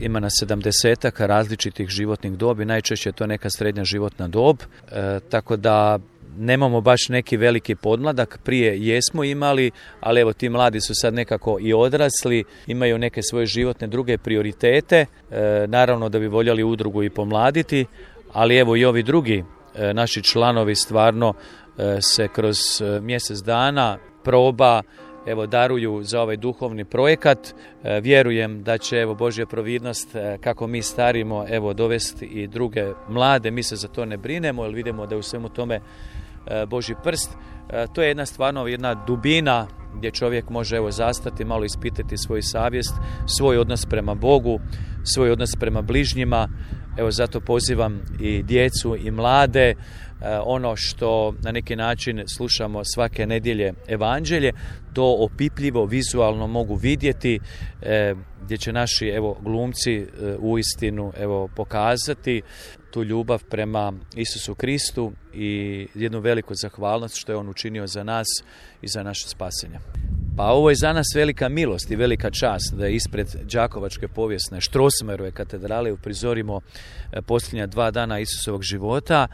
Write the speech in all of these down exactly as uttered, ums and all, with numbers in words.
ima na sedamdesetak različitih životnih dobi, najčešće je to neka srednja životna dob, e, tako da nemamo baš neki veliki podmladak, prije jesmo imali, ali evo ti mladi su sad nekako i odrasli, imaju neke svoje životne druge prioritete, e, naravno da bi voljeli udrugu i pomladiti, ali evo i ovi drugi e, naši članovi stvarno e, se kroz e, mjesec dana proba evo daruju za ovaj duhovni projekat. E, vjerujem da će evo Božja providnost e, kako mi starimo evo dovesti i druge mlade, mi se za to ne brinemo jer vidimo da je u svemu tome e, Božji prst. E, to je jedna stvarno jedna dubina gdje čovjek može evo zastati, malo ispitati svoju savjest, svoj odnos prema Bogu, svoj odnos prema bližnjima. Evo zato pozivam i djecu i mlade, ono što na neki način slušamo svake nedjelje evanđelje, to opipljivo, vizualno mogu vidjeti, gdje će naši evo glumci uistinu evo pokazati tu ljubav prema Isusu Kristu i jednu veliku zahvalnost što je on učinio za nas i za naše spasenje. Pa ovo je za nas velika milost i velika čast da ispred Đakovačke povijesne Strossmayerove katedrale uprizorimo posljednja dva dana Isusovog života.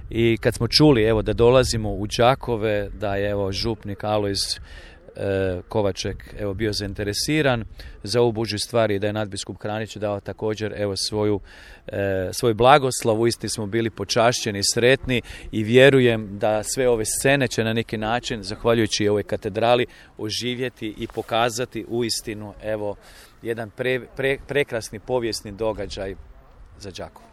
I kad smo čuli evo da dolazimo u Đakove, da je evo župnik Alojz e, Kovaček evo bio zainteresiran za ovu Božju stvar i da je nadbiskup Kranić dao također evo svoju e, svoj blagoslov, uistinu smo bili počašćeni, sretni i vjerujem da sve ove scene će na neki način, zahvaljujući ovoj katedrali, oživjeti i pokazati uistinu evo jedan pre, pre, prekrasni povijesni događaj za Đakovo.